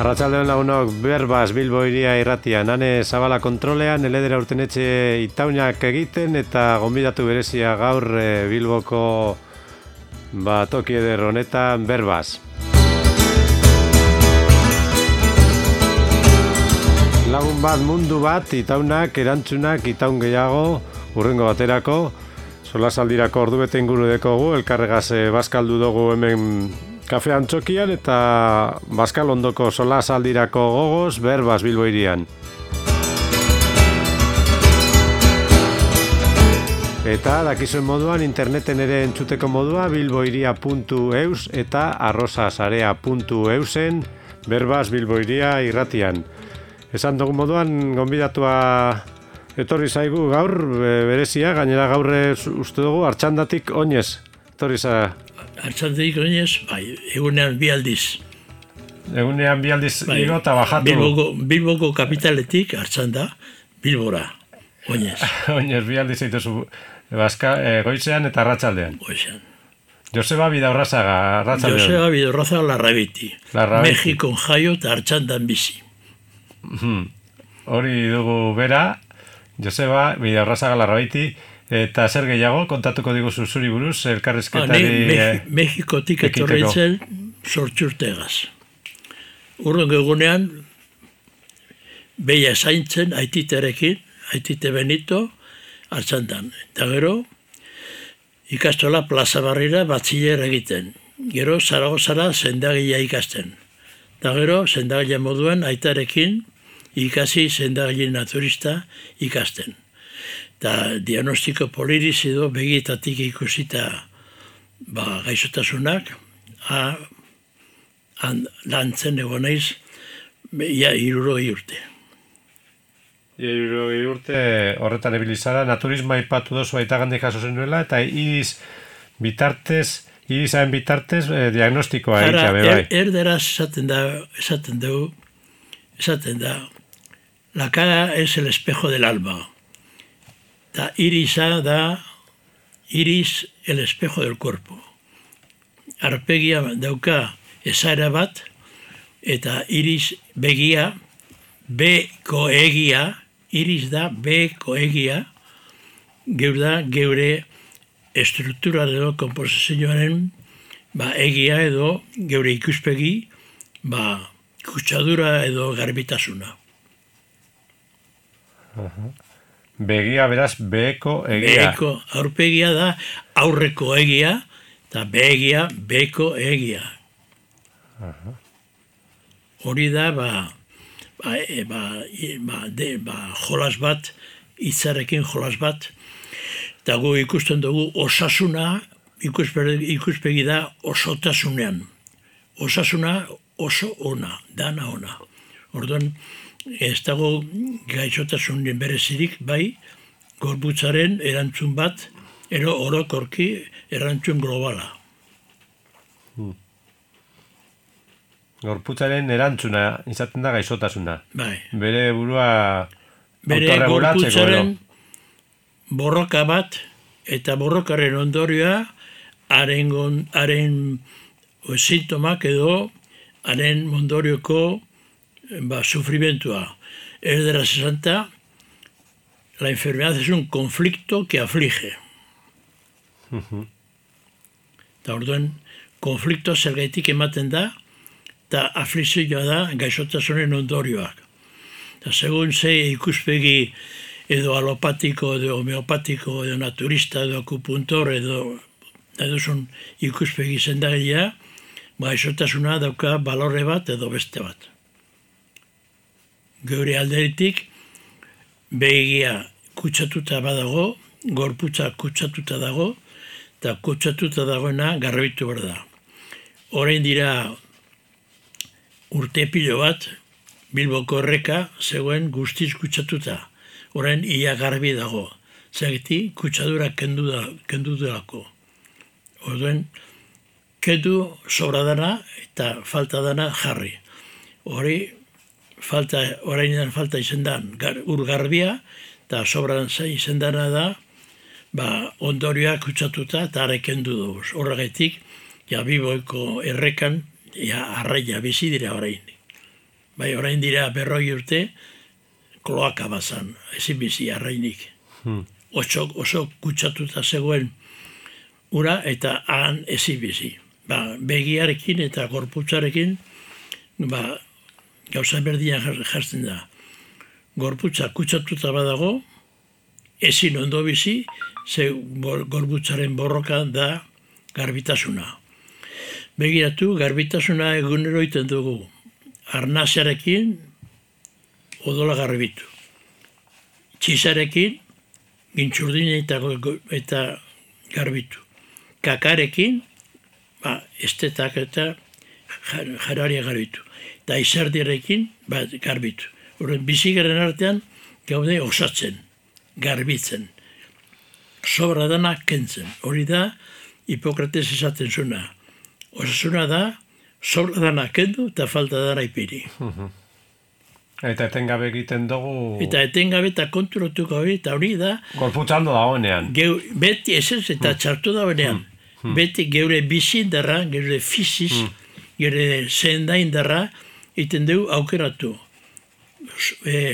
Arratsaldeon lagunok, Berbas Bilbo Hiria irratian, Ane Zabala kontrolean, Eledera Urtenetxe Itaunak egiten eta gonbidatu berezia gaur Bilboko toki eder honetan Berbas. Lagun bat, mundu bat, Itaunak, erantzunak, Itaun gehiago, urrengo baterako, solasaldirako ordubete inguru dekogu, elkarregaz bazkaldu dugu hemen kafe antzokian eta Baskal ondoko solasaldirako gogoz Berbas Bilbo Hirian. Eta dakizuen moduan interneten ere entzuteko modua bilbohiria.eus eta arrosasarea.eusen Berbas Bilbo Hiria irratian. Esan dugu moduan gonbidatua etorri zaigu gaur berezia, gainera gaur uste dugu Artxandatik oinez. Etorri za Artxandatik oinez, egunean bi aldiz. Egunean bi aldiz igo eta bajatu. Bilboko kapitaletik Artxanda, Bilbora, oinez. Oinez bi aldiz eituzu goizean eta arratsaldean. Goizean. Joseba Bidaurrazaga, arratsaldean. Joseba Bidaurrazaga Larrabiti. Mexikon jaio eta Artxandan bizi. Hori dugu bera, Joseba Bidaurrazaga Larrabiti. Eta zer gehiago, kontatuko diguzu zuri buruz, elkarrizketari... Mexikotik etorreitzen sortxurtegaz. Urrengo egunean, beia zaintzen aititerekin, aitite Benito, Artxandan. Eta gero, ikastola Plaza Barrira batxiller egiten. Gero, Zaragozara sendagila ikasten. Eta gero, sendagila moduen aitarekin ikasi sendagile naturista ikasten. Eta diagnostiko poliriz edo begietatik ikusita gaixotasunak, lantzen egon naiz, ia 60 urte. 60 urte horretan ebilizara, naturismoa ipatu dozu aitagandik jaso zenuela, eta irizaren bitartez diagnostikoa egitea bebai. Erderaz esaten da, la cara es el espejo del alma. Ta irisa da iris el espejo del cuerpo. Arpegia dauka esaera bat, eta iris begia, beko egia, iris da beko egia, geure estruktura edo komposizioaren egia edo geure ikuspegi, kutsadura edo garbitasuna. Begia, beraz, beko egia. Beko, aurpegia da aurreko egia, eta begia, beko egia. Hori da, jolas bat, hitzarekin jolas bat, eta gu ikusten dugu osasuna, ikuspegi da osotasunean. Osasuna oso ona, dana ona. Orduan, ez dago gaixotasunen berezirik, gorputzaren erantzun bat, orokorki erantzun globala. Gorputzaren erantzuna izaten da gaixotasuna. Bere burua bere gorputzaren borroka bat, eta borrokaren ondorioa, haren sintomak edo, haren ondorioko sufrimentua. Erderaz esanta, la enfermedad es un conflicto que aflige. Eta orduan, konfliktoa zergaitik ematen da, eta aflizioa da gaixotasunen ondorioak. Eta segun ze ikuspegi edo alopatiko, edo homeopatiko, edo naturista, edo akupuntor, edo son ikuspegi zendagilea, gaixotasuna dauka balorre bat edo beste bat. Geure alderitik, begia kutsatuta badago, gorputza kutsatuta dago, eta kutsatuta dagoena garbitu behar da. Orain dira urte pilo bat, Bilboko erreka zegoen guztiz kutsatuta. Orain ia garbi dago. Zagiti, kutsadura kendu delako. Orduan, kendu sobra dana eta falta dana jarri. Orainan falta izen da ur garbia, eta sobran izen dana da, ondorioak kutsatuta eta areken du dugu. Horregatik, Bilboko errekan, arraia bizi dira orain. bai orain dira 40 urte, kloaka bazan, ezin bizi arrainik. Oso kutsatuta zegoen ura eta han ezin bizi. Begiarekin eta gorputzarekin gauza berdian jartzen da. Gorputza kutsatuta badago, ezin ondo bizi, ze gorputzaren borroka da garbitasuna. Begiratu, garbitasuna egunero iten dugu. Arnasarekin odola garbitu. Txizarekin gintxurdina eta garbitu. Kakarekin estetak eta jararia garbitu. Eta izardiarekin garbitu. Horren bizigaren artean gaude osatzen, garbitzen. Sobra dana kentzen. Hori da Hipokrates esaten zuna. Osasuna da, sobra dana kendu eta falta dana ipiri. Eta etengabe egiten dugu... Eta etengabe eta konturatuko hori, eta hori da... Gorputzaldo dagoenean. Beti ez eta txartu dagoenean. Beti geure bizindarra, geure fiziz, geure zendaindarra, iten dugu aukeratu.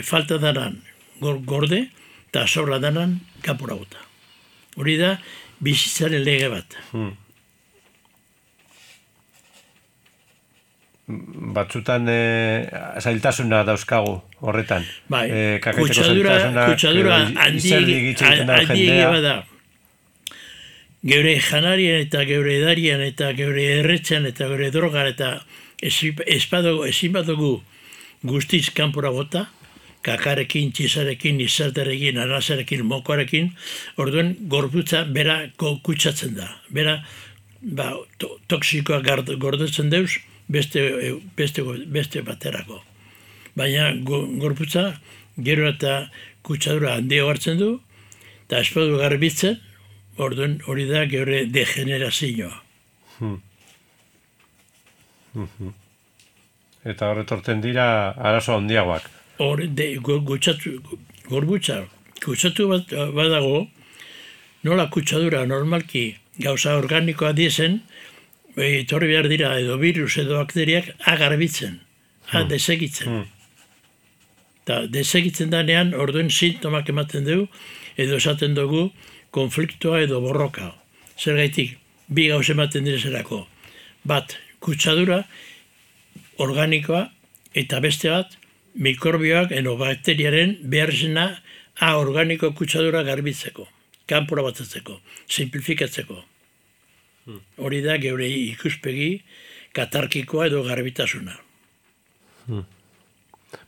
Falta danan gorde, eta sobra danan kapura bota. Hori da, bizitzaren lege bat. Batzutan zailtasuna dauzkagu horretan. Bai, kutsadura handiegi bada. Geure janarien eta geure edarian eta geure erretxan eta geure drogan eta ezin badugu guztiz kanpora bota, kakarekin, txizarekin, izartarekin, arnasarekin, mokoarekin, orduen gorputza bera kutsatzen da. Bera toksikoa gordetzen deuz beste baterako. Baina gorputza gero eta kutsadura handia hartzen du, eta espadu garbitzen, orduen hori da geure degenerazioa. Eta horretorten dira arazo handiagoak. Gorputza kutsatu badago, nola kutsadura normalki gauza organikoa diezen, etorri behar dira edo virus edo bakteriak agarbitzen, desegitzen. Eta desegitzen danean orduen sintomak ematen dugu, edo esaten dugu konfliktoa edo borroka. Zergaitik, bi gauz ematen direzerako. Bat, kutsadura organikoa eta beste bat, mikrobioak edo bakteriaren behar zena organiko kutsadura garbitzeko, kanpora batatzeko, simplifikatzeko. Hori da geure ikuspegi katarkikoa edo garbitasuna.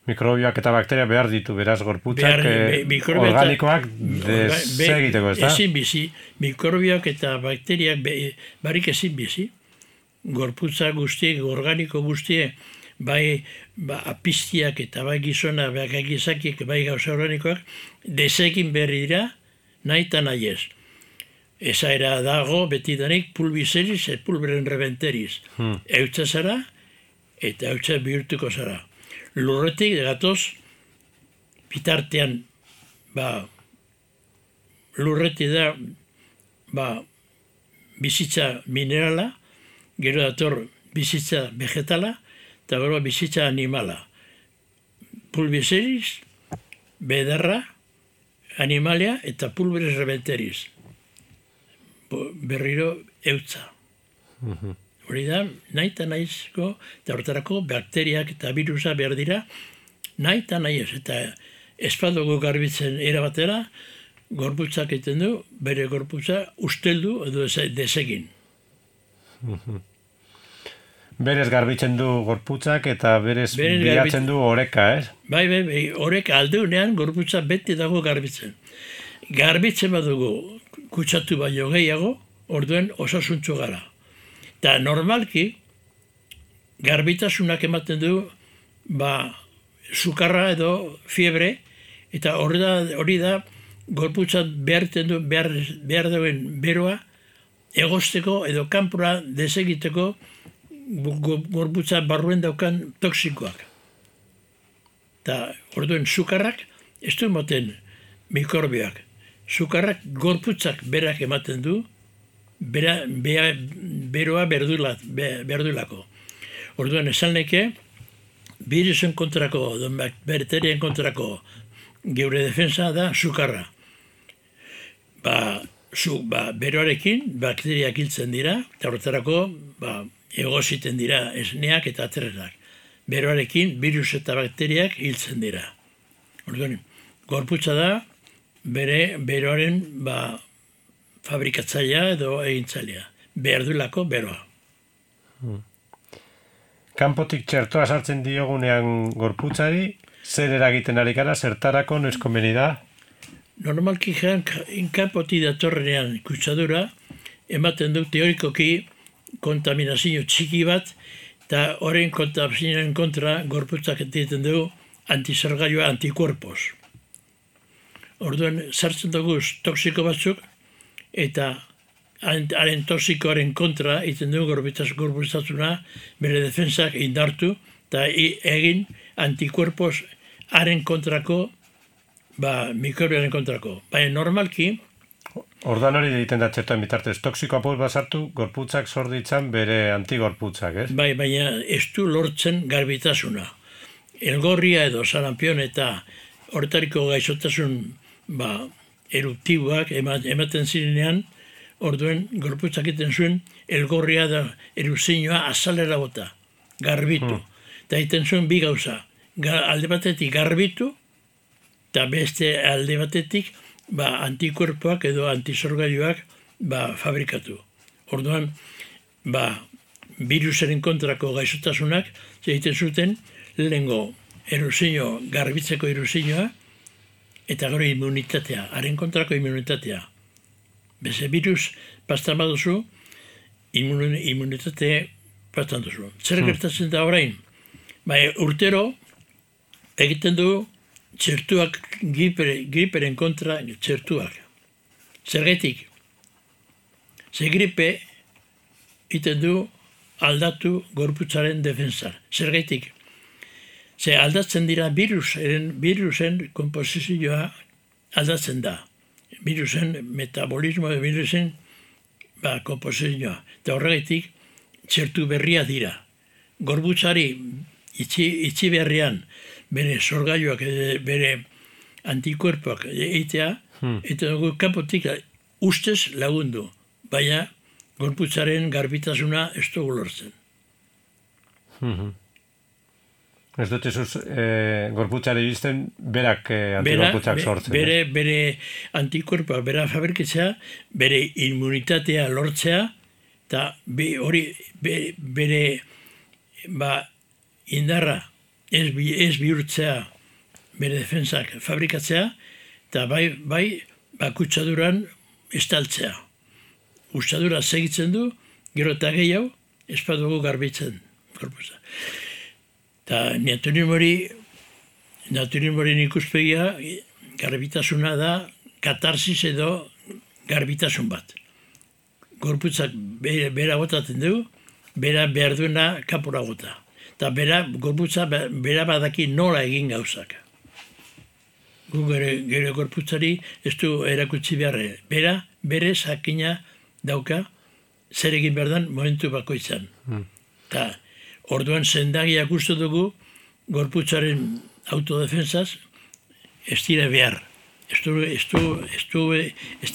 Mikrobioak eta bakteria behar ditu, beraz gorputzak organikoak desegiteko, ez da? Ezin bizi, mikrobioak eta bakteriak barik ezin bizi. Gorputza guztiek, organiko guztiek, bai apistiak eta bai gizona, bai gizakiek, bai gauza organikoak, desegin berri dira, nahi eta nahi ez. Ezaera dago betidanik pulbizeriz, pulberen rebenteriz. Eutza zara eta eutza bihurtuko zara. Lurretik gatoz, bitartean, lurretik da, bizitza minerala, gero dator bizitza vegetala, eta gero bizitza animala. Pulbizeriz, bedarra, animalia eta pulberes rebenteriz. Berriro eutza. Hori da, nahi eta nahizko, eta horretarako bakteriak eta virusa behar dira, nahi eta nahi ez. Eta espadugu garbitzen erabatera, gorputzak egiten du, bere gorputza usteldu edo desegin. Berez garbitzen du gorputzak eta berez bilatzen du oreka, ez? Bai, oreka aldeunean gorputza beti dago garbitzen. Garbitzen badugu kutsatu baino gehiago, orduen osasuntzu gara. Eta normalki, garbitasunak ematen du, sukarra edo fiebre, eta hori da gorputzat behar duen beroa, egosteko edo kanpora desegiteko gorputza barruen daukan toksikoak. Eta orduen sukarrak, ez du ematen mikrobioak. Sukarrak gorputzak berak ematen du, beroa berdulako. Orduan esan neke, birusen kontrako, bakterien kontrako geure defensa da sukarra. Beroarekin bakteriak hiltzen dira, eta horretarako egoziten dira esneak eta atrenak. Beroarekin virus eta bakteriak hiltzen dira. Orduan, gorputza da beroaren fabrikatzailea edo egintzailea. Behar duelako beroa. Kanpotik txertoa sartzen diogunean gorputzari, zer eragiten ari gara, zertarako, noiz komeni da? Normalki kanpotik datorrenean kutsadura, ematen du teorikoki kontaminazio txiki bat, eta horren kontaminazioen kontra gorputzak egiten du antizergailua antikorpos. Orduan, sartzen dugu toksiko batzuk, eta haren toksikoaren kontra egiten dugu gorputzasuna bere defensak indartu, eta egin antikorpos haren kontrako, mikrobioaren kontrako. Baina normalki, ordan hori egiten da txertoen bitartez, toksiko apur basartu, gorputzak sorditzan bere antigorputzak, ez? Baina ez du lortzen garbitasuna. Elgorria edo sarampion eta horretariko gaixotasun eruptiboak ematen zirenean, orduen gorputzak egiten zuen elgorria da erupzioa azalera bota, garbitu. Eta egiten zuen bi gauza, alde batetik garbitu, eta beste alde batetik antikuerpoak edo antizorgailuak fabrikatu. Orduan, virusaren kontrako gaixotasunak egiten zuten lehengo erupzio, garbitzeko erupzioa, eta gero immunitatea, haren kontrako immunitatea. Beze virus pastan baduzu, immunitate pastan duzu. Zer gertatzen da orain? Urtero egiten du txertuak, griperen kontra txertuak. Zergatik? Ze gripe egiten du aldatu gorputzaren defensa. Zergatik? Ze aldatzen dira virusen komposizioa aldatzen da. Virusen metabolismo, virusen komposizioa. Eta horregatik txertu berria dira. Gorputzari itxi berrian bere sorgailuak, bere antikuerpoak egitea, eta dugu kanpotik ustez lagundu, baina gorputzaren garbitasuna ez dugu lortzen. Ez dut ezuz gorputzari bizten berak antigorputzak sortzen. Bere antikuerpoak, bera fabrikatzea, bere immunitatea lortzea, eta hori bere indarra ez bihurtzea bere defensak fabrikatzea, eta bai kutsaduran estaltzea. Kutsadura segitzen du, gero eta gehiago, ez badugu garbitzen gorputza. Eta naturimorin ikuspegia, garbitasuna da katarsis edo garbitasun bat. Gorputzak bera botatzen du, bera behar duena kapura gota. Eta gorputza bera badaki nola egin gauzak. Gu gure gorputzari ez du erakutsi beharre. Bere sakina dauka zer egin behar den momentu bakoitzan. Eta orduan sendagiak uste dugu gorputzaren autodefensaz ez dira behar. Ez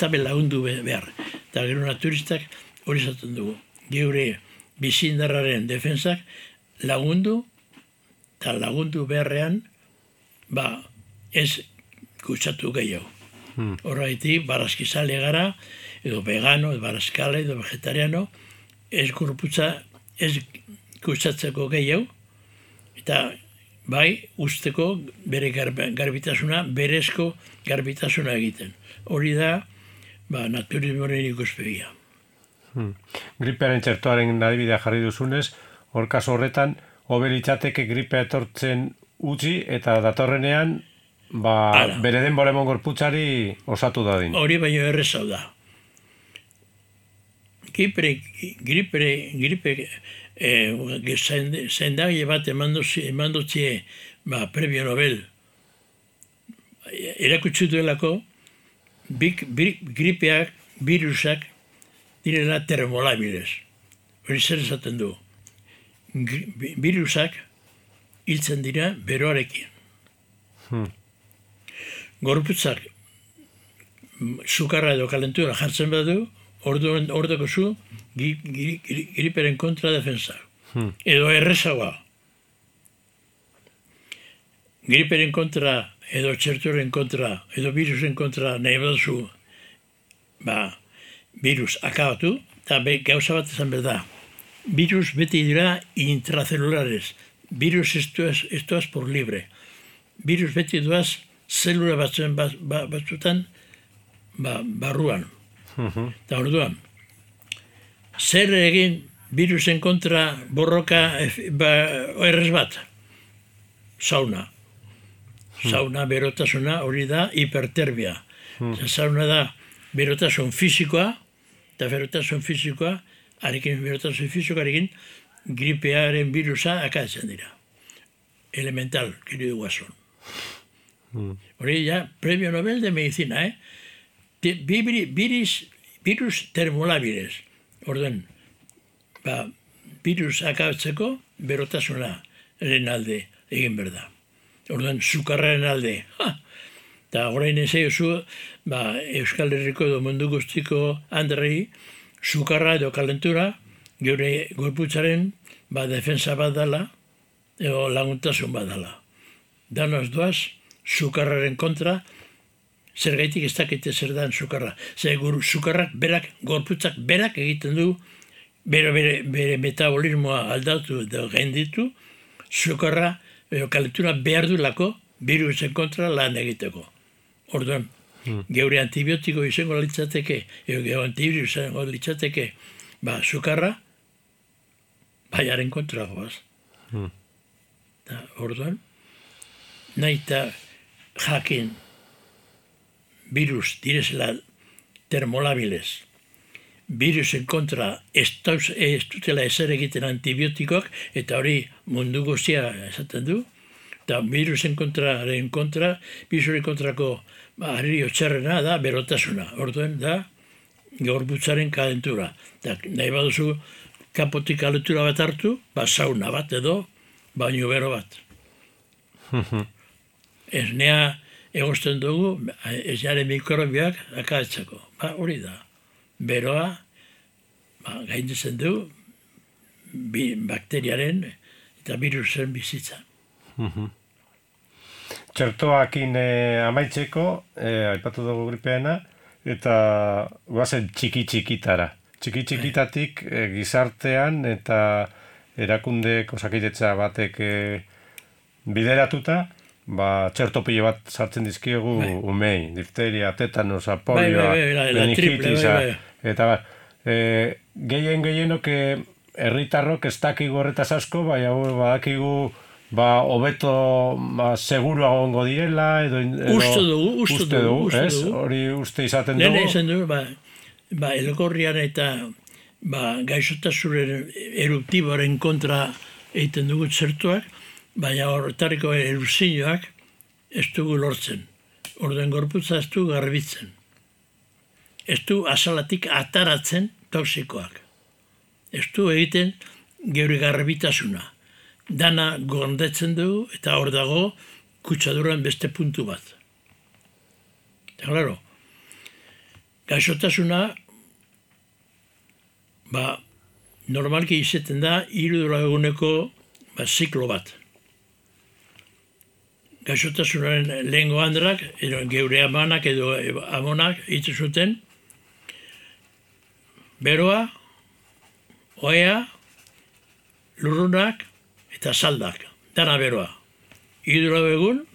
da belagundu behar. Eta gero naturistak hori zaten dugu. Geure bizindarraren defensak lagundu, eta lagundu beharrean, ez kutsatu gehiago. Horregatik, barazkizale gara, edo vegano, edo barazkale, edo vegetariano, ez kutsatzeko gehiago, eta bai, usteko bere garbitasuna, berezko garbitasuna egiten. Hori da, naturismoaren ikuspegia. Gripearen txertoaren adibidea jarri duzunez, hor kaso horretan, hobe litzateke gripea etortzen utzi eta datorrenean bere denbora emon gorputzari osatu dadin. Hori baino errezau da. Gripe zendagile bat emandotzie premio Nobel erakutsi duelako gripeak, virusak direla termolabiles. Hori zer esaten du. Virusak hiltzen dira beroarekin. Gorputzak sukarra edo kalentura jartzen badu, orduko zu griperen kontra defensa. Edo errezagoa. Griperen kontra, edo txertoren kontra, edo virusen kontra nahi baduzu, virus akabatu, eta gauza bat esan behar da. Virus beti dira intracelulares. Virus estoaz por libre. Virus beti duaz zelula batzutan barruan. Eta orduan, zer egin virusen kontra borroka errez bat? Sauna. Sauna, berotasuna, hori da hiperterbia. Sauna da berotasun fizikoa, eta berotasun fizikoa, berotasun fizikoarekin gripearen virusa akatzen dira. Elemental, querido Guasón. Hori ya, premio Nobel de Medicina, virus termolábiles. Orden, virus akatzeko berotasuna alde egin berda. Orden, sukarraren alde. Eta orain ezei oso, Euskal Herriko edo mundu guztiko Andrei, sukarra edo kalentura, geure gorputzaren defensa bat dela, edo laguntasun bat dela. Danoz doaz, sukarraren kontra, zergaitik ez dakite zer dan sukarra. Zer sukarrak berak, gorputzak berak egiten du, bere metabolismoa aldatu edo gainditu, sukarra edo kalentura behar du lako virusen kontra lan egiteko. Orduan, geure antibiotiko izango litzateke, edo antivirus izango litzateke, sukarra, baiaren kontra goaz. Orduan, nahi eta jakin virus direzela termolabiles, virusen kontra ez dutela ezer egiten antibiotikoak, eta hori mundu guztia esaten du, eta virusen kontraren kontra, virusen kontrako harri txarrena da berotasuna. Orduan da gorputzaren kalentura. Nahi baduzu kapotik kalentura bat hartu, sauna bat edo baino bero bat. Esnea egosten dugu, ez jaren mikrobioak akatzeko. Hori da. Beroa gainditzen du bakteriaren eta virusen bizitza. Txertoakin amaitzeko, aipatu dugu gripeana, eta guazen txiki-txikitara. Txiki-txikitatik gizartean eta erakunde osakitetza batek bideratuta, txertopile bat sartzen dizkiegu umei, difteria, tetanosa, polioa, meningitisa, eta gehienok herritarrok ez dakigu horretaz asko, badakigu hobeto seguruago ongo direla, edo uste dugu, ez? Hori uste izaten dugu. Lehen izan dugu, elgorrian eta gaixotasunen eruptiboaren kontra egiten dugu txertuak, baina horretariko erupzioak ez dugu lortzen. Orduan gorputza ez du garbitzen. Ez du azalatik ataratzen toksikoak. Ez du egiten geure garbitasuna. Dana gondetzen dugu eta hor dago kutsaduran beste puntu bat. Eta klaro, gaixotasuna normalki izaten da 3 eguneko ziklo bat. Gaixotasunaren lehengo handrak, geure amanak edo amonak hitzu zuten, beroa, ohea, lurrunak eta saldak, dana beroa. 3 egun,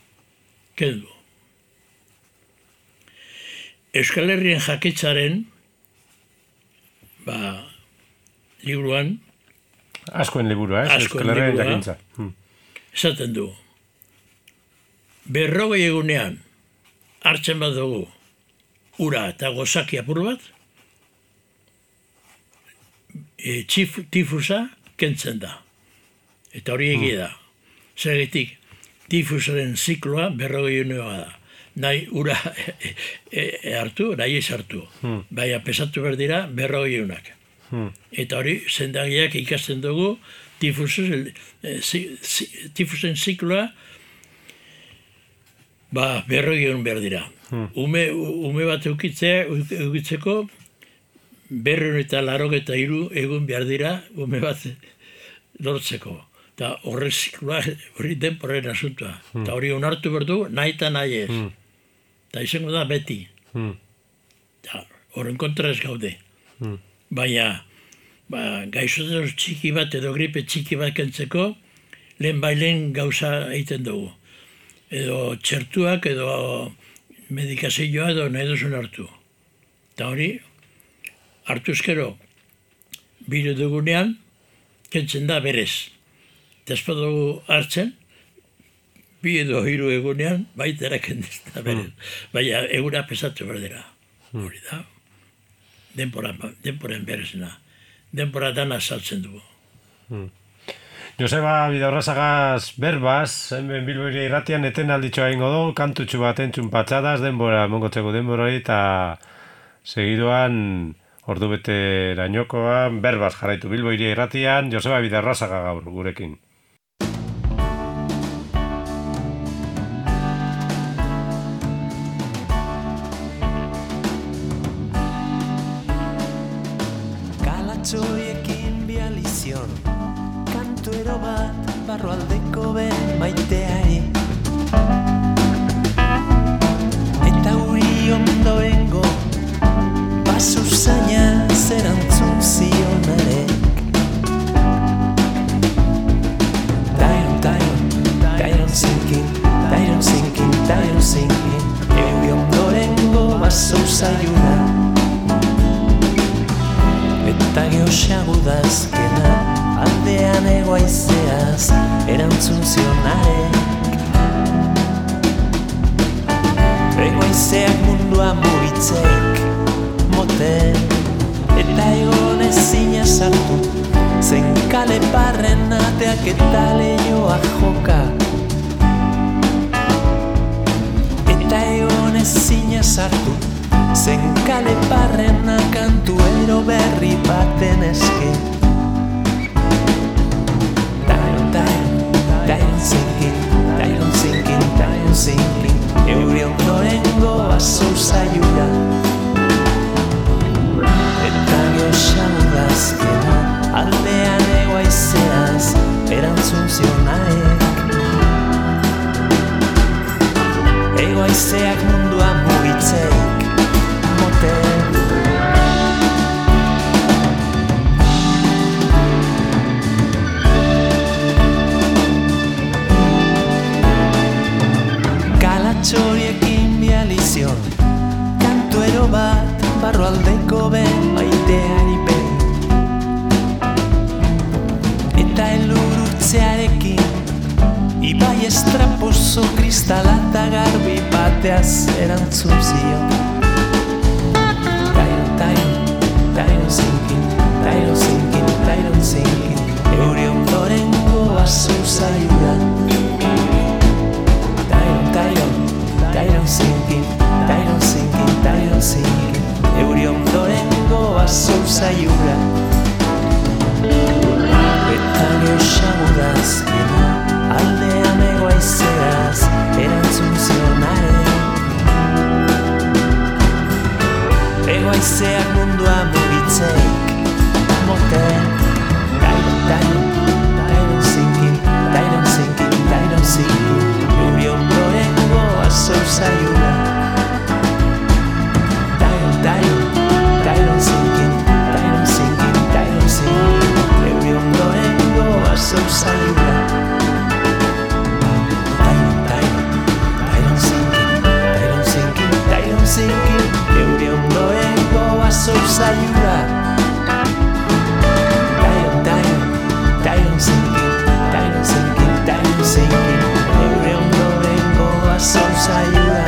kendu. Euskal Herrien jakitzaren, liburuan, askoen liburua, Euskal Herrien jakintza. Esaten du, 40 egunean hartzen bat dugu ura eta gozaki apur bat, tifusa kentzen da. Eta hori egia da. Zergatik, tifusaren zikloa 40 eguneoa da. Nahi ura hartu, nahi ez hartu. Baina pesatu behar dira 40 egunak. Eta hori, zendagiak ikasten dugu, tifusen zikloa, berroi egun behar dira. Ume bat eukitzeko, 283 egun behar dira, ume bat lortzeko. Eta horre zikloa, hori denporen asuntua. Eta hori onartu berdu, nahi eta nahi ez. Eta izango da beti. Horren kontra ez gaude. Baina, gaixotasun txiki bat edo gripe txiki bat kentzeko, lehen gauza egiten dugu. Edo txertuak edo medikazioa edo nahi duzun hartu. Eta hori, hartu ezkero, biru dugunean, kentzen da berez. Despa dugu hartzen, 2 edo 3 egunean, baitera kentzen da berez. Baina eguna pesatu berdera. Hori da. Denporan berezena. Denpora dana saltzen dugu. Joseba Bidaurrazagaz berbaz, hemen Bilboire irratian eten alditxoa ingo dugu, kantutxu bat entzun patxadaz, denbora, mongotzeko denbora eta segidoan ordu bete erainokoan berbaz jarraitu Bilboire irratian, Joseba Bidaurrazaga gaur gurekin. Kalatxoiekin bializion, kantuero bat barrualdeko ben maiteari. Eta uri ondoengo, baso zaina zerantzun zionarek. Tyron sinking, euri ondorengo baso zaiuna. Eta geoxagudazkena, aldean egoaizeaz, erantzun zionarek. Egoaizeak mundua mugitzeik, moten, eta egon ezina sartu, zen kale parren ateak eta lehioa joka. Eta egon ezina sartu, zen kale parrena kantuero berri baten eske. Tyron sinking, euri ondorengo baso zaiura. Eta geoxagudazkena, aldean egoaizeaz, erantzun zionarek. Egoaizeak mundua mugitzeik, moten. Kalatxoriekin bializion, kantuero bat barrualdeko ben maiteari behin. Eta elurutzearekin, ibai estraposo kristalata garbi bateaz erantzun zion. Tyron sinking, euri ondorengo baso zaiura. Tyron sinking, euri ondorengo baso zaiura. Eta geoxagudazkena, aldean egoaizeaz, erantzun zionarek. Egoaizeak mundua mugitzeik, moten. Tyron sinking, euri ondorengo baso zaiura. Tyron sinking, euri ondorengo baso zaiura. Tyron sinking, euri ondorengo baso zaiura. Tyron sinking, euri ondorengo baso zaiura.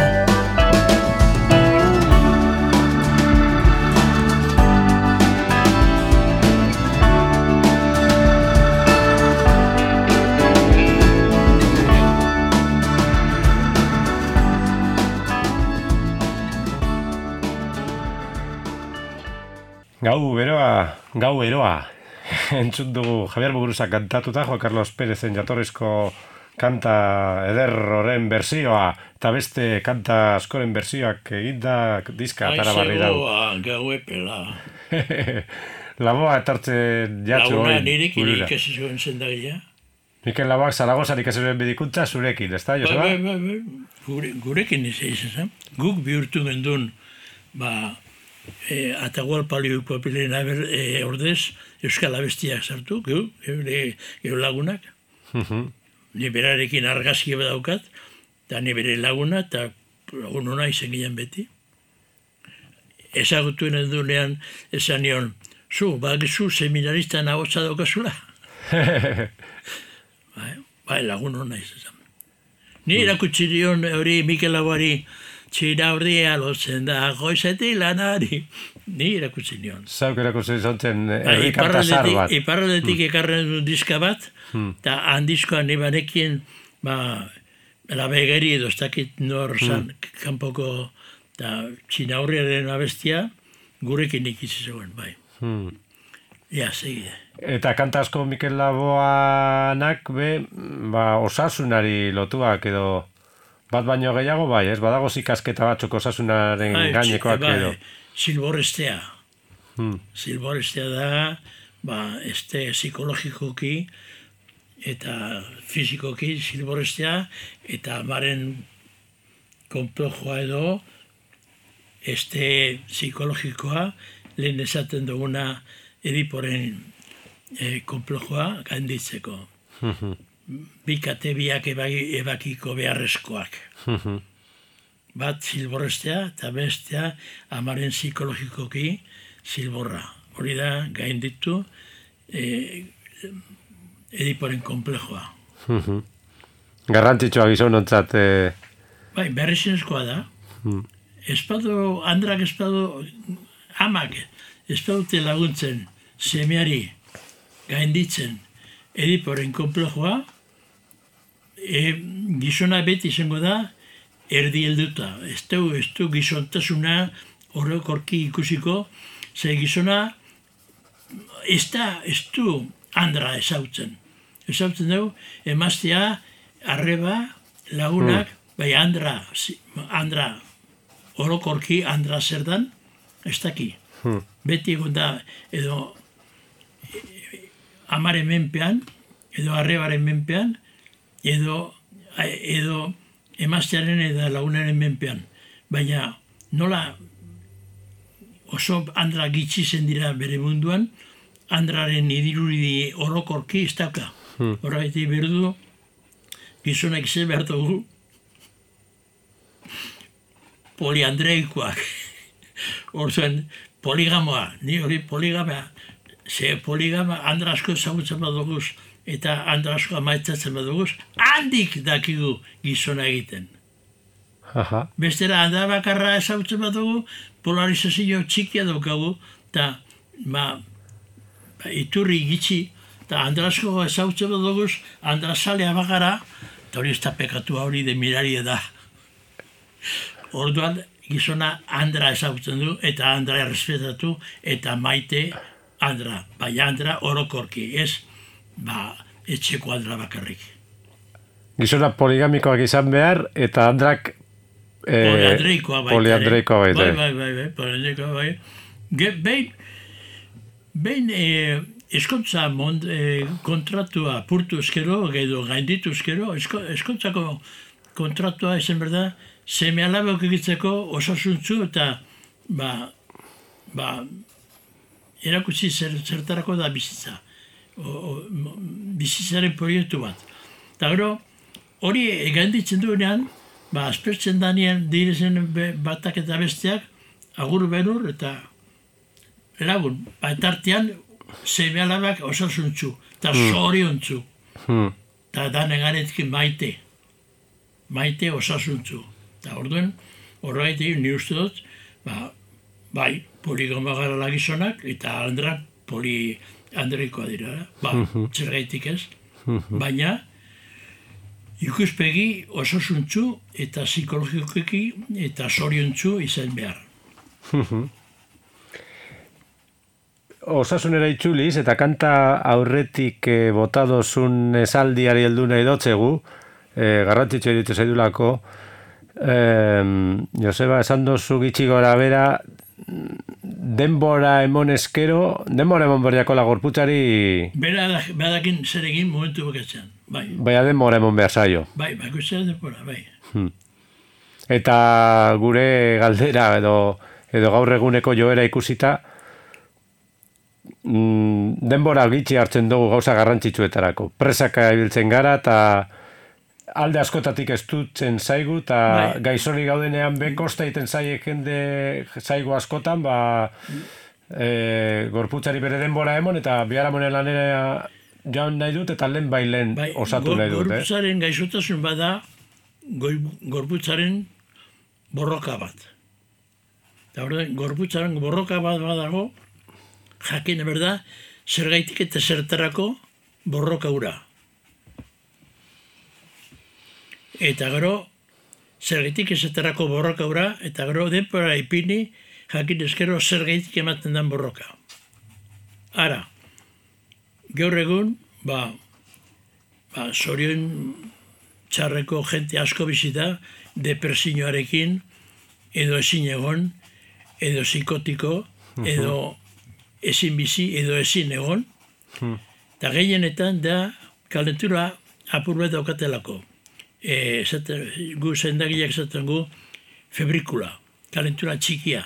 Gau eroa, entzun dugu Javier Muguruza kantatuta, Juan Carlos Pérezen jatorrizko kanta eder horren berzioa, eta beste kanta askoren berzioak eginda diska atara barri dago. Aizegoa, gaue pela. Laboa etortzen jatzu hori. Laguna nirekin ikasi zuen zendagila. Mikel Laboak Zaragozan ikasi zuen medikuntza zurekin, ez da, Joseba? Gurekin izan. Guk bihurtu gendun, Atahualpalio Papilen ordez, Euskal Abestiak sartu, geu lagunak. Ni berarekin argazki badaukat, eta ni bere laguna, eta lagun hona izen ginen beti. Ezagutuen edunean esan nion, bagizu seminarista nahotza daukazula. Bai, lagun hona izan. Ni erakutsi dion hori Mikel Laboari, txina horria lotzen da, goizetik lanari. Ni erakutsi nion. Zauk erakutsi zontzen herrikanta zar bat. Iparraldetik ekarren du diska bat, eta handizkoan nibanekien, labegeri edo ez dakit nor zan, kanpoko, eta txina horriaren abestia, gurekin ikizi zegoen, bai. Ja, segide. Eta kanta asko Mikel Laboanak osasunari lotuak edo bat baino gehiago, bai, ez badago ikasketa batzuk osasunaren gainekoak edo. Silborestea. Silborestea da, psikologikoki eta fizikoki silborestea, eta amaren konplejoa edo, psikologikoa, lehen esaten duguna Ediporen konplejoa gainditzeko. Bikate biak ebakiko beharrezkoak. Bat silborrestea eta bestea amaren psikologikoki silborra. Hori da gainditu Ediporen konplejoa. Garrantzitsua gizonontzat. Bai, berrizinezkoa da. Andrak espadu amak espadute laguntzen semeari gainditzen Ediporen konplejoa, gizona beti izango da erdi helduta. Ez du gizontasuna orokorki ikusiko, ze gizona ez du andra ezautzen. Ezautzen dugu, emaztea, arreba, lagunak, bai andra orokorki andra zer dan, ez daki. Beti egon da, edo amaren menpean, edo arrebaren menpean, edo emaztearen eta lagunaren menpean. Baina nola oso andra gitxizen dira bere munduan, andraren idirudi orokorki ez dauka. Horregatik berdu, gizonak ze behar dugu poliandreikoak. Orduan, poligamoa, ni hori poligamoa, ze poligama andra asko ezagutzen baduguz eta andra asko amaitzatzen baduguz, handik dakigu gizona egiten. Bestera, andra bakarra ezagutzen badugu, polarizazio txikia daukagu, eta iturri gitxi, eta andra asko ezagutzen baduguz, andra zalea bagara, eta hori ez da pekatua hori de miraria da. Orduan, gizona andra ezagutzen du, eta andra errespetatu, eta maite andra. Bai andra orokorki, ez etxeko andra bakarrik. Gizona poligamikoak izan behar, eta andrak poliandreikoa baita. Bai. Poliandreikoa bai. Behin eskontza kontratua purtu eskero, edo gainditu eskero, eskontzako kontratua ezen berda, seme alabok egitzeko osasuntzu eta erakutsi zertarako da bizitza. Bizitzaren proiektu bat. Eta gero, hori gainditzen duenean, aspertzen danean direzen batak eta besteak, agur benur eta lagun. Eta artean, seme alabak osasuntzu, eta zoriontzu. Eta danegaretkin maite osasuntzu. Eta orduen, horregatik ni uste dut, bai, poligama gara gizonak, eta andrak poliandreikoa dira. Zergaitik ez. Baina, ikuspegi osasuntzu eta psikologikoki eta zoriontzu izan behar. osasunera itzuliz, eta kanta aurretik botadozun esaldiari heldu nahi dotzegu, garrantzitsu editu zaidulako, Joseba, esan dozu gitxi gora bera, denbora emon berdiako la gorputzari... Badakin zer egin momentu bokatzen, bai. Baina denbora emon behar zaio. Bai, bakoitzaren denbora, bai. Eta gure galdera edo gaur eguneko joera ikusita, denbora gitxi hartzen dugu gauza garrantzitsuetarako. Presaka ibiltzen gara eta alde askotatik estutzen zaigu, eta gaizori gaudenean bekosta egiten zaiek jende zaigu askotan, gorputzari bere denbora emon, eta biharamonen lanera jaun nahi dut, eta lehen osatu nahi dut. Gorputzaren gaixotasun bada, gorputzaren borroka bat. Eta gorputzaren borroka bat badago, jakin berda, zergaitik eta zertarako borroka ura. Eta gero, zergaitik ezetarako borroka ura, eta gero denpora ipini, jakin ezkero zergaitik ematen den borroka. Ara, gaur egun, zorion txarreko jente asko bizita, depresioarekin, edo ezin egon, edo psikotiko, edo ezin bizi, edo ezin egon. Eta gehienetan da kalentura apur bat daukatelako. Gu zendagileak esaten gu febrikula, kalentura txikia.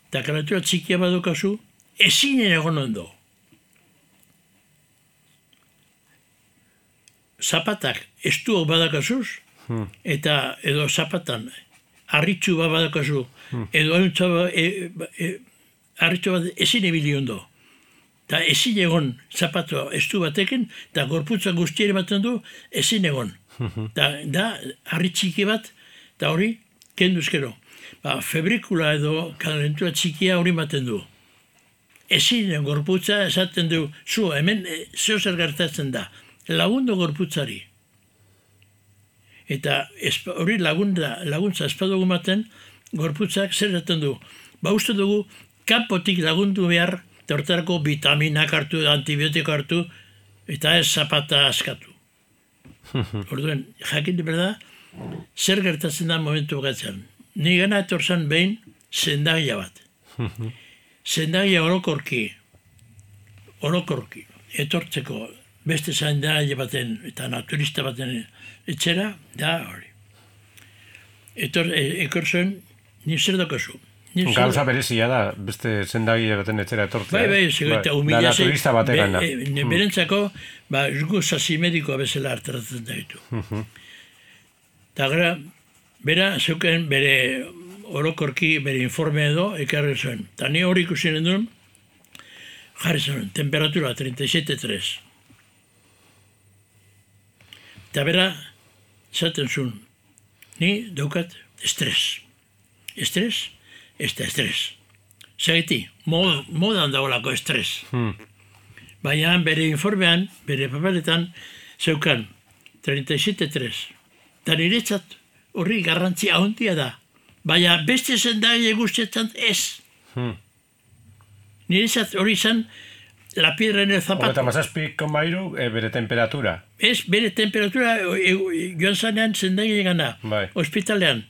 Eta kalentura txikia badukazu, ezin egon ondo. Zapatak estuok badakazuz, eta edo zapatan harritxu bat badakazu, edo harritxu bat ezin ebili ondo. Eta ezin egon zapatu estu batekin, eta gorputza guztiere baten du ezin egon. Da harri txiki bat, eta hori kenduzkero. Febrikula edo kalentura txikia hori baten du. Ezin gorputza esaten du, zu hemen zeo zer gertatzen da, lagundu gorputzari. Eta hori laguntza espadugu maten, gorputzak zer esaten du. Uste dugu, kanpotik lagundu behar, eta hortarako vitaminak hartu, antibiotiko hartu, eta ez zapata askatu. Orduen, jakin berda, zer gertatzen da momentu gatzen. Ni gana etorzan behin zendagia bat. Zendagia orokorki, etortzeko beste zendagia baten eta naturista baten etxera, da hori. Ekorzen, ni zer dokazu. Gauza berezia da, beste zendagia baten etxera etortzea. Bai, eta humilazio. Da naturista batean da. Berentzako, gu sasi medikoa bezala hartaratzen da ditu. Eta gara, bera, zeuken bere orokorki, bere informe edo, ekarri zuen. Eta ni hori ikusinen duen, jarri zuen, temperatura 37,3. Eta bera, zaten zuen, ni daukat estres. Estres? Ez da estres. Zagiti, modan dagoelako estres. Baina bere informean, bere papeletan, zeukan 37,3. Eta niretzat horri garrantzia handia da. Baina beste zendaile guztietan ez. Niretzat hori izan la piedra en el zapato. Eta mazazpik konbairu, bere temperatura. Ez, bere temperatura joan zanean zendaile gana. Hospitalean.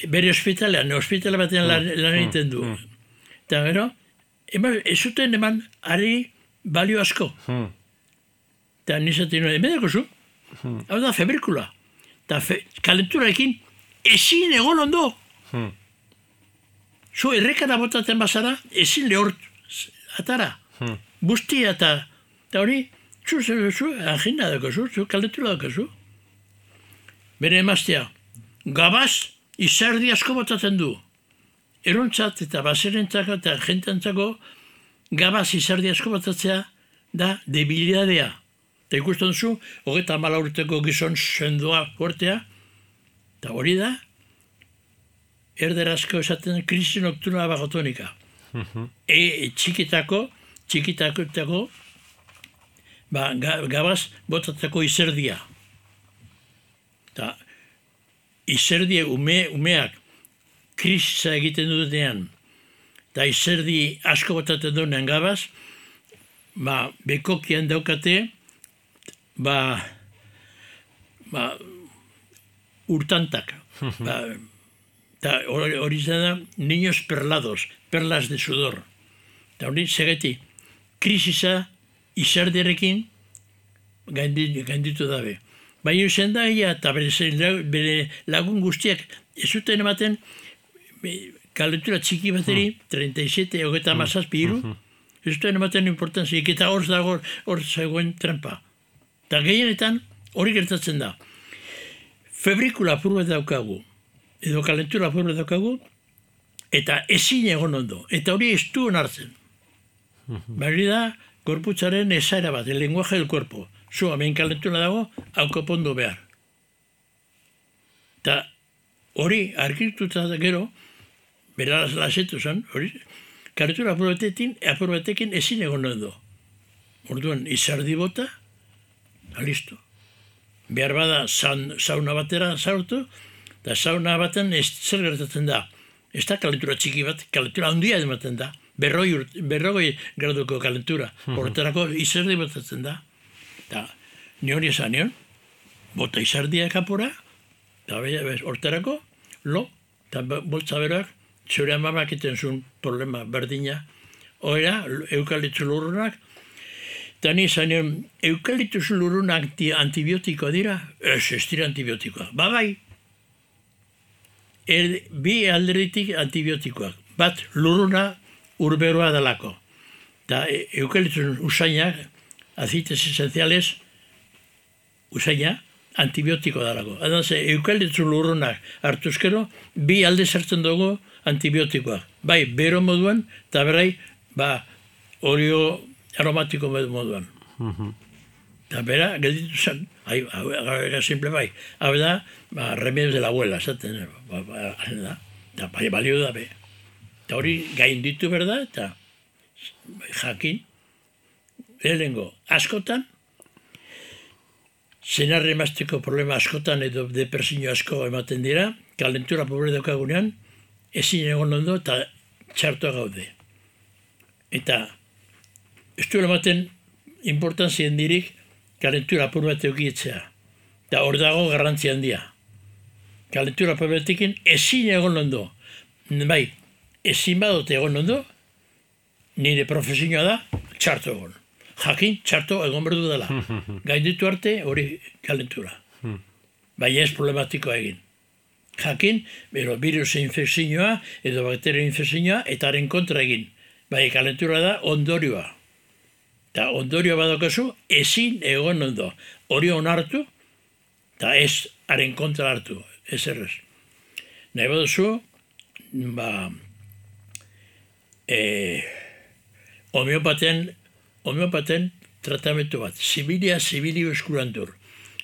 Bere ospitala batean lan egiten du. Eta gero, ez zuten eman ari balio asko. Eta nizaten nuen, emedako zu? Hau da febrikula. Eta kalenturaekin ezin egon ondo. Zu errekara botaten bazara, ezin lehort atara. Bustia eta hori, zu agenda dako zu kalentura dako zu. Bere emaztea, gabaz, izerdi asko botatzen du. Erontzat eta baserentzako eta jentantzako gabaz izerdi asko botatzea da debilidadea. Eta ikusten zu, 34 urteko gizon sendoa fortea, eta hori da, erderazko esaten krisi nocturna bagotonika. Txikitako, gabaz botatzeko izerdia. Eta izerdie umeak krisisa egiten dutenean, eta izerdi asko botaten duen gabaz, bekokian daukate, urtantak. Eta hori da, niños perlados, perlas de sudor. Eta hori, segeti, krisisa izerdiarekin gainditu dabe. Baina zen da, eta bere lagun guztiak ez zuten ematen kalentura txiki bateri, 37, hogeta mazazpi iru, ez zuten ematen importantzik, eta hor dago, hor zegoen trampa. Eta gehienetan hori gertatzen da. Febrikula apur bat daukagu, edo kalentura apur bat daukagu, eta ezin egon ondo, eta hori ez du onartzen. Bari da, gorputzaren esaera bat, el lenguaje del cuerpo. Zu, hemen kalentura dago, hau konpondu behar. Eta hori, argituta gero, bera lasetu zen, hori, kalentura apur batekin ezin egon ondo. Orduan, izardi bota, listo. Behar bada sauna batera sartu, eta sauna baten zer gertatzen da. Ez da kalentura txiki bat, kalentura handia ematen da. 40 graduko kalentura. Horretarako izerdi botatzen da. Eta nion esan nion, bota izardia kapora, eta horretarako, eta boltza beroak, zure amamak eten zuen problema berdina. Oera, eukaliptus lurrunak, eta ni esan nion, eukaliptus lurrunak antibiotikoa dira? Ez dira antibiotikoa. Bai. Bi alderitik antibiotikoak. Bat, lurruna urberoa dalako. Eta eukaliptus usainak, aceites esenciales, usaina, antibiotiko dalako. Adaz, eukaliptus lurrunak hartuzkero, bi alde sartzen dugu antibiotikoak. Bai, bero moduan, eta berai, olio aromatiko moduan. Eta bera, gelditu zen, simple bai. Hau da, remedios de la abuela, esaten, eta balio da be. Eta hori gainditu berda, eta jakin, lehenengo, askotan, zenarre emazteko problema askotan edo depresio asko ematen dira, kalentura pobre daukagunean, ezin egon ondo eta txartua gaude. Eta ez duela ematen importantzien dirik kalentura apur bat eukietzea. Eta hor dago garrantzi handia. Kalentura apur batekin ezin egon ondo. Bai, ezin badot egon ondo, nire profesioa da, txartu egon. Jakin, txarto egon berdu dela. Gainditu arte hori kalentura. Baina ez problematikoa egin. Jakin, bero virus infekzioa edo bakterio infekzioa eta haren kontra egin. Baina kalentura da ondorioa. Eta ondorioa badokazu ezin egon ondo. Hori onartu eta ez haren kontra hartu. Ez errez. Nahi baduzu, homeopaten tratamentu bat, zibilio eskurantur.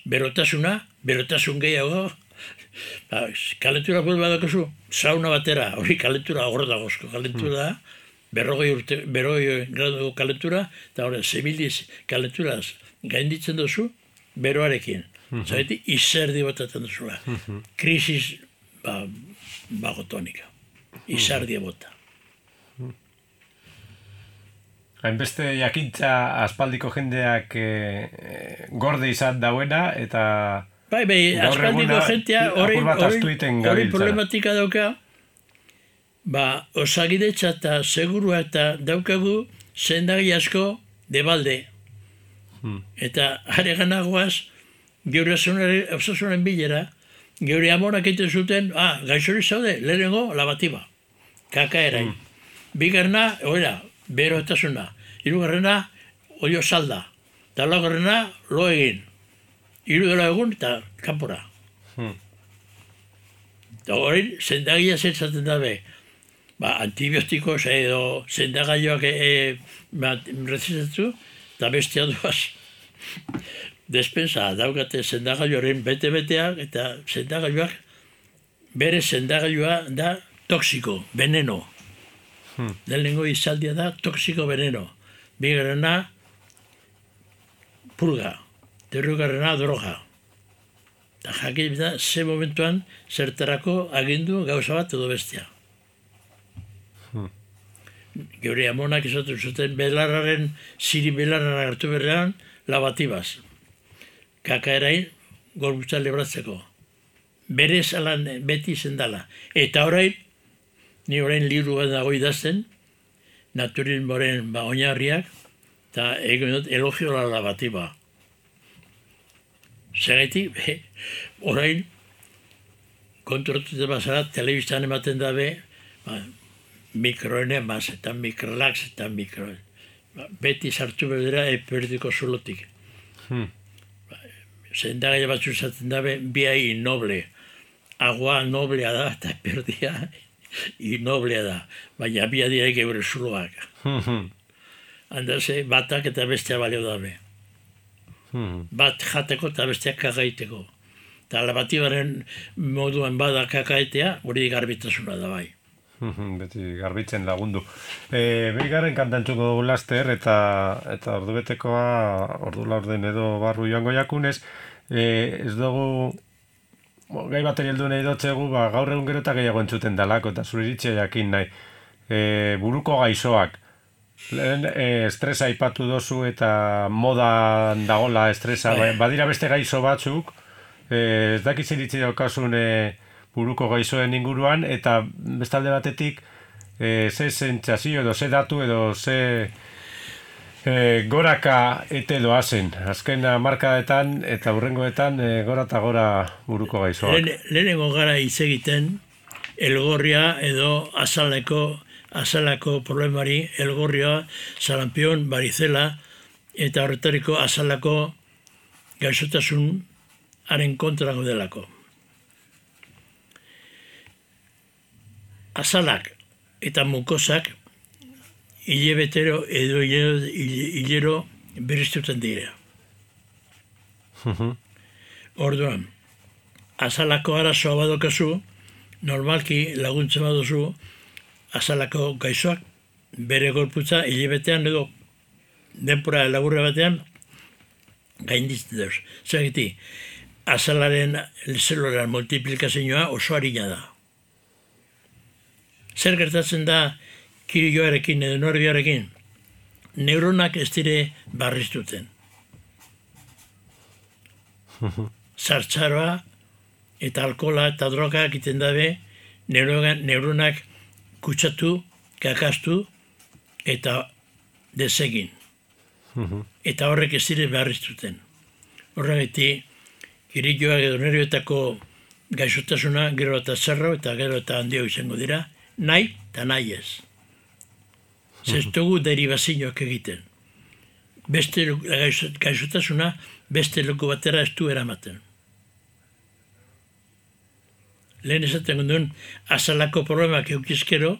Berotasun gehiago, kalentura pul badakazu, sauna batera, hori kalentura hor dagozko, kalentura da, 40 gradu kalentura, eta hori zibiliz kalenturaz gainditzen duzu, beroarekin. Zaiti, izerdi botatzen duzula. Krisis bagotonika. Izerdi bota. Hainbeste jakintza aspaldiko jendeak gorde izan dauena, eta bai, aspaldiko jentea hori problematika dauka, osagidetza eta segurua eta daukagu zendagi asko debalde. Eta areganagoaz, geure osasunen bilera, geure amonak egiten zuten, gaixori zaude, lehenengo labatiba, kakaerain. Bigarna, berotasuna. Hirugarrena, olio salda. Eta laugarrena, lo egin. Hiru egun eta kanpora. Eta hori, zendagia zetzaten dabe. Antibiotikoz edo zendagaioak rezitatu, eta bestia duaz. Despensa daukate zendagaioaren bete-beteak, eta zendagaioak, bere zendagaioa da toksiko, veneno. Lehenengo izaldia da toksiko veneno. Bigarrena, purga. Hirugarrena, droga. Eta jakin da, ze momentuan zertarako agindu gauza bat edo bestia. Geure amonak izatu zuten belarraren, ziri belarrara hartu berrean, labatibaz. Kakaerain, gorputza libratzeko. Berez alan beti zendala. Eta orain, ni orain libru bat dago idazten, naturismoaren oinarriak, eta egin dut elogio la lavatiba. Zergatik, orain, konturatuta bazara, telebistan ematen dabe, mikroenemas eta mikrolax eta beti sartu berdera eperdiko zulotik. Zendagaia batzu izaten dabe, biai inoble. Agua noblea da eta eperdia inoblea da. Baina bia direk eure zuloak. Handaze, batak eta bestea balio dabe. Bat jateko eta besteak kakaiteko. Eta labatibaren moduan bada kakaitea, hori garbitasuna da bai. Beti garbitzen lagundu. Bigarren kantantzuko dugu laster eta ordubetekoa, ordu laurden edo barru joango jakunez, ez dugu gai bateri heldu nahi dotzegu, gaur egun gero eta gehiago entzuten dalako, eta zure iritzia jakin nahi. Buruko gaixoak, lehen estresa aipatu dozu eta modan dagola estresa, badira beste gaixo batzuk, ez dakiz iritzi daukasun buruko gaixoen inguruan, eta bestalde batetik ze sentsazio edo ze datu edo ze goraka ete doazen. Azken hamarkadetan eta hurrengoetan gora eta gora buruko gaixoak. Lehenengo gara hitz egiten elgorria edo azalako problemari, elgorria, sarampion, barizela eta horretariko azalako gaixotasun haren kontra gaudelako. Azalak eta mukosak hilebetero edo hilero berriztuten dira. Orduan, azalako arazoa badokazu, normalki laguntza baduzu, azalako gaixoak bere gorputza hilebetean edo denpora laburra batean gainditzen dauz. Zergatik, azalaren zelularen multiplikazioa oso harina da. Zer gertatzen da kirilloarekin edo nerbioarekin? Neuronak ez dire barriztuten. Zartzaroa eta alkohola eta droga egiten dabe neuronak kutsatu, kakastu eta desegin. Eta horrek ez dire barriztuten. Horregatik, kirilloak edo nerbioetako gaixotasuna gero eta zerro eta gero eta handio izango dira, nahi eta nahi ez. Zestugu derivazioak egiten. Beste gaixotasuna beste leku batera ez du eramaten. Lehen esaten duen azalako problemak eukizkero,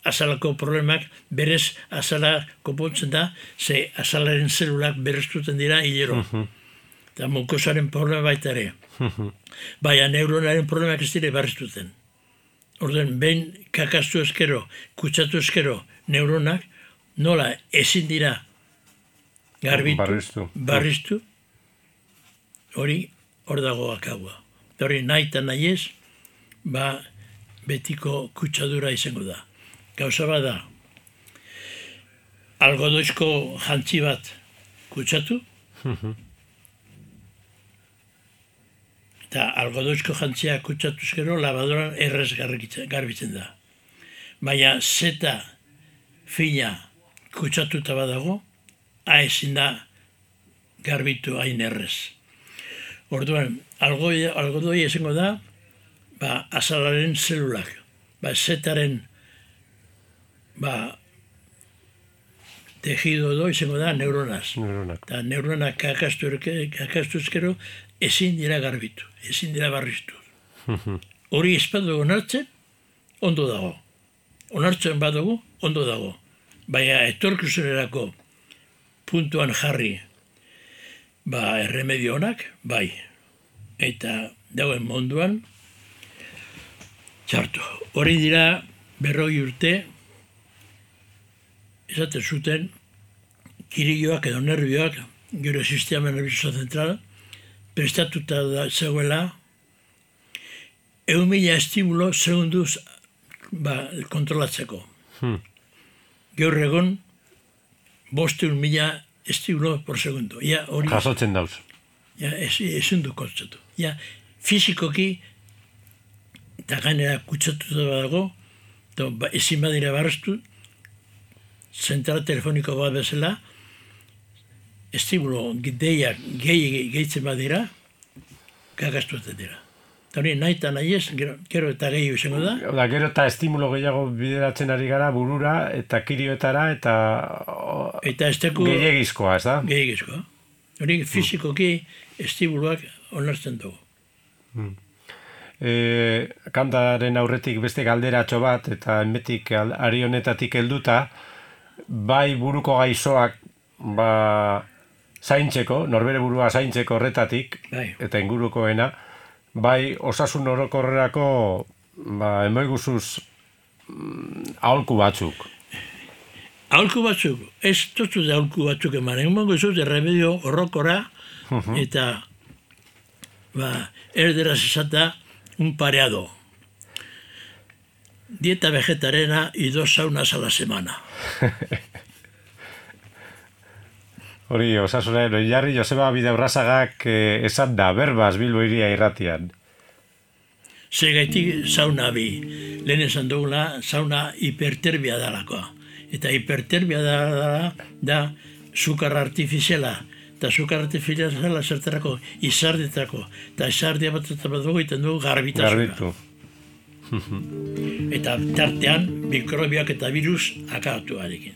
azalako problemak berez azala konpontzen da, ze azalaren zelulak berreztuten dira hilero. Eta mukosaren problema baita ere. Baina neuronaren problemak ez dire berreztuten. Orduan, behin kakastu eskero, kutsatu eskero neuronak, nola ezin dira garbitu, barriztu, hori hor dago akagua. Hori nahi eta nahi ez, betiko kutsadura izango da. Gauza bat da, algodoizko jantzi bat kutsatu, eta algodoizko jantzia kutsatu eskero, labadoran errez garbitzen da. Baina zeta fina kutsatuta badago, ezin da garbitu hain errez. Orduan, algodoi esango da, azalaren zelulak, zetaren tejido edo izango da neuronaz. Eta neuronak kakastu ezkero ezin dira garbitu, ezin dira barriztu. Hori espadu onartzen, ondo dago. Onartzen badugu, ondo dago. Baina etorkizunerako puntuan jarri erremedio honak, bai. Eta dagoen munduan, txartu. Hori dira 40 urte, esaten zuten, kirilloak edo nerbioak, gero sistema nervioso zentral, prestatuta da zegoela, 1.000 estimulo segunduz kontrolatzeko. gaur egon 500.000 estimulo por segundo. Ja, hori, Jasotzen dauz. ja, ezin du kontzatu. Ja, fizikoki, eta gainera kutsatuta dago, ezin badira barreztu, zentral telefoniko bat bezala, estimulo deiak gehitzen badira, gagastuetan dira. Eta hori nahi eta nahi ez, gero eta gehiago izango da. Da, gero eta estimulo gehiago bideratzen ari gara burura eta kirioetara eta Eta ez teku gehiagizkoa, ez da? gehiagizkoa. Hori fizikoki estimuloak onartzen dugu. Kantaren aurretik beste galderatxo bat eta enbetik ari honetatik helduta, bai buruko gaixoak zaintzeko, norbere burua zaintzeko horretatik, Bai. eta ingurukoena, bai osasun orokorrerako emoiguzuz aholku batzuk. Aholku batzuk, ez totu da aholku batzuk eman, emango zut erremedio horrokora, eta erderaz esata un pareado. Dieta vegetarena y 2 saunas a la semana. Hori, osasunaren oinarri Joseba Bidaurrazagak esan da, berbaz Bilbo Hiria irratian. Segaitik sauna bi. Lehen esan dugula, sauna hiperterbia dalakoa. Eta hiperterbia da sukar artifiziala. Eta sukar artifiziala zertarako izardetako. Eta izardia bat dugu egiten dugu garbitasuna. Garbitu. Eta tartean mikrobioak eta virus akabatu arekin.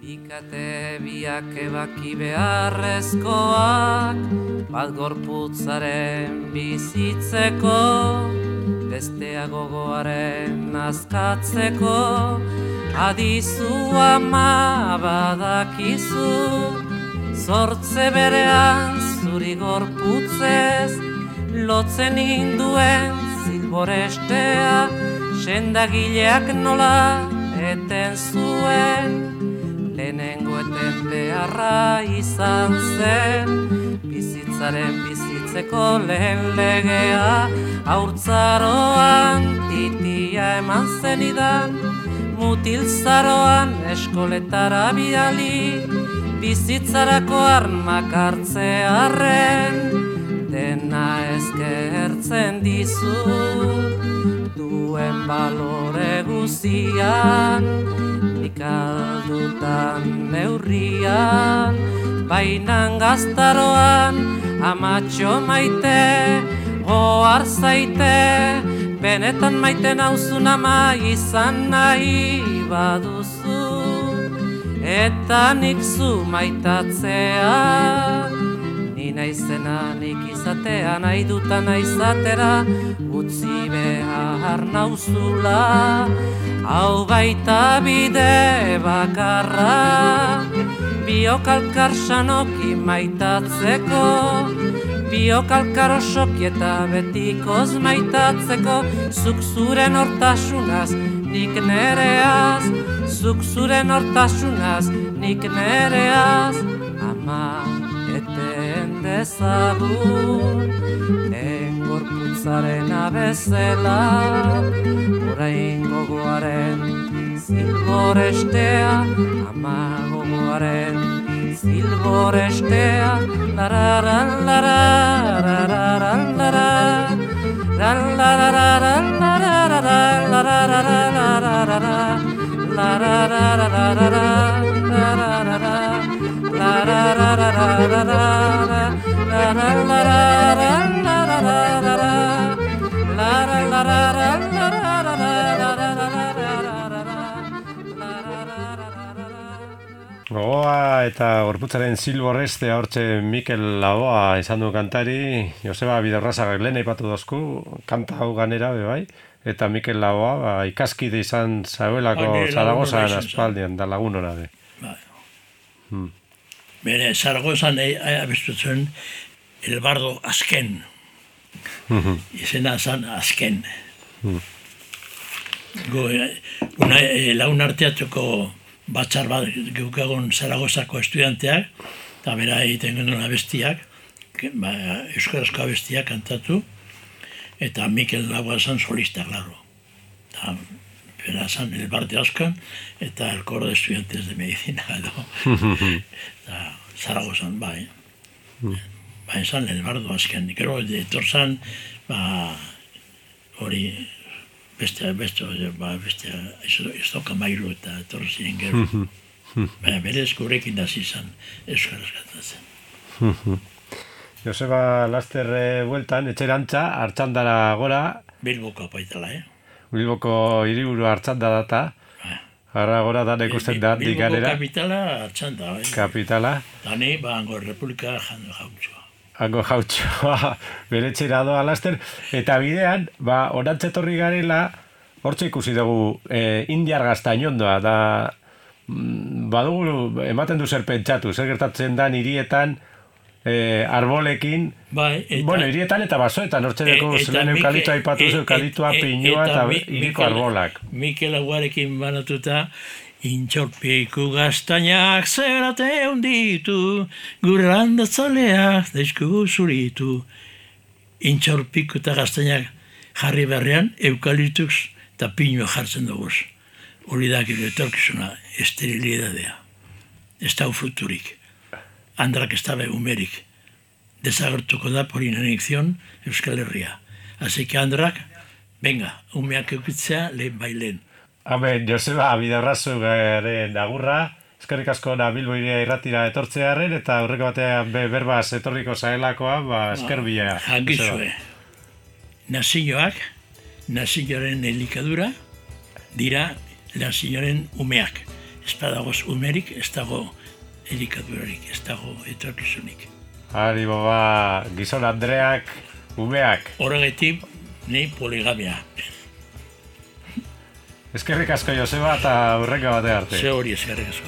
Ikate biak ebaki beharrezkoak, bat gorputzaren bizitzeko, bestea gogoaren azkatzeko, adizu ama badakizu, zortze berean zuri gorputzez, lotzen induen zilborestea, sendagileak nola eten zuen, lehenengo eten beharra izan zen, bizitzeko lehen legea, haurtzaroan titia eman zenidan, mutilzaroan eskoletara bidali, bizitzarako armak hartzearren, dena eskertzen dizu, duen balore guzian, ikaldutan neurrian, bainan gaztaroan, amatxo maite, goar zaite, benetan maite nauzun ama izan nahi baduzu, eta nik zu maitatzea, ni naizena nik izatea, nahi dutan naizatera, utzi behar nauzula, hau baita bide bakarra, biokalkar sanoki maitatzeko, biokalkar osoki eta betikoz maitatzeko, zuk zuren hortasunaz, nik nereaz, zuk zuren hortasunaz, nik nereaz, ama eten dezagun, gorputzaren abezela, orain gogoaren zilborestea, ama gogoaren zilborestea, lararan lararan lararan lararan Gogoa eta gorputzaren zilborrestea hortxe Mikel Laboa izan du kantari, Joseba Bidaurrazagak lehen aipatu dozku, kanta hau ganera bai, eta Mikel Laboa ikaskide izan zauelako Zaragozan aspaldian, da lagun hona de. Bere, Zaragozan abestutzen el bardo azken. Izena zan azken. Lagun arteatuko batzar bat geukagon Zaragozako estudianteak, eta bera egiten genuen abestiak, euskarazko abestiak kantatu, eta Mikel Laboa zan solista, klaro. bera zan, el bar de Oscan, eta el coro de estudiantes de medicina, edo. Eta Zaragozan, bai. Bai, zan, el bar de Oscan. Gero, etor zan, hori, beste, ez doka mailu eta etor ziren gero. Baina berez gurekin hasi zan, euskaraz kantatzen. Joseba Laster bueltan, etxerantza, Artxandara gora. Bilboko apaitala, Bilboko hiriburu Artxanda data. Gara gora dan ikusten da handik ganera. Bilboko kapitala Artxanda, bai. Kapitala. Dani, hango Republika jautxoa. Hango jautxoa, bere txera doa Laster. Eta bidean, orantzetorri garela, hortxe ikusi dugu indiar gaztainondoa, da badugu ematen du zer pentsatu, zer gertatzen da hirietan, arbolekin, bai, hirietan eta basoetan, hortzeneko zelen eukalitua aipatu eukalitua, pinua eta hiriko arbolak. Mikel Aguarekin banatuta, intxorpiku gaztainak zerate hunditu, gure landatzaleak daizku zuritu. Intxorpiku eta gaztainak jarri berrean, eukaliptus eta pinua jartzen dugu. Hori da gero etorkizuna, esterilidadea. Ez da fruturik. Andrak ez dabe umerik. Desagertuko da por inanición Euskal Herria. Así que Andrak, venga, umeak eukitzea lehen bailen. Amen, Joseba, Bidarrazu garen agurra, eskerrik asko Bilbo iria irratira etortzearen, eta aurreko batean berbaz etorriko zaelakoa, esker bila. Jangizue, nazioak, nazioaren elikadura, dira nazioaren umeak. Ez badagoz umerik, ez dago elikadurarik, ez dago etorkizunik. Ari boba, gizon Andreak, umeak. Horregatik, ni poligamia. Eskerrik asko Joseba eta aurreko bate arte. Ze hori eskerrik asko.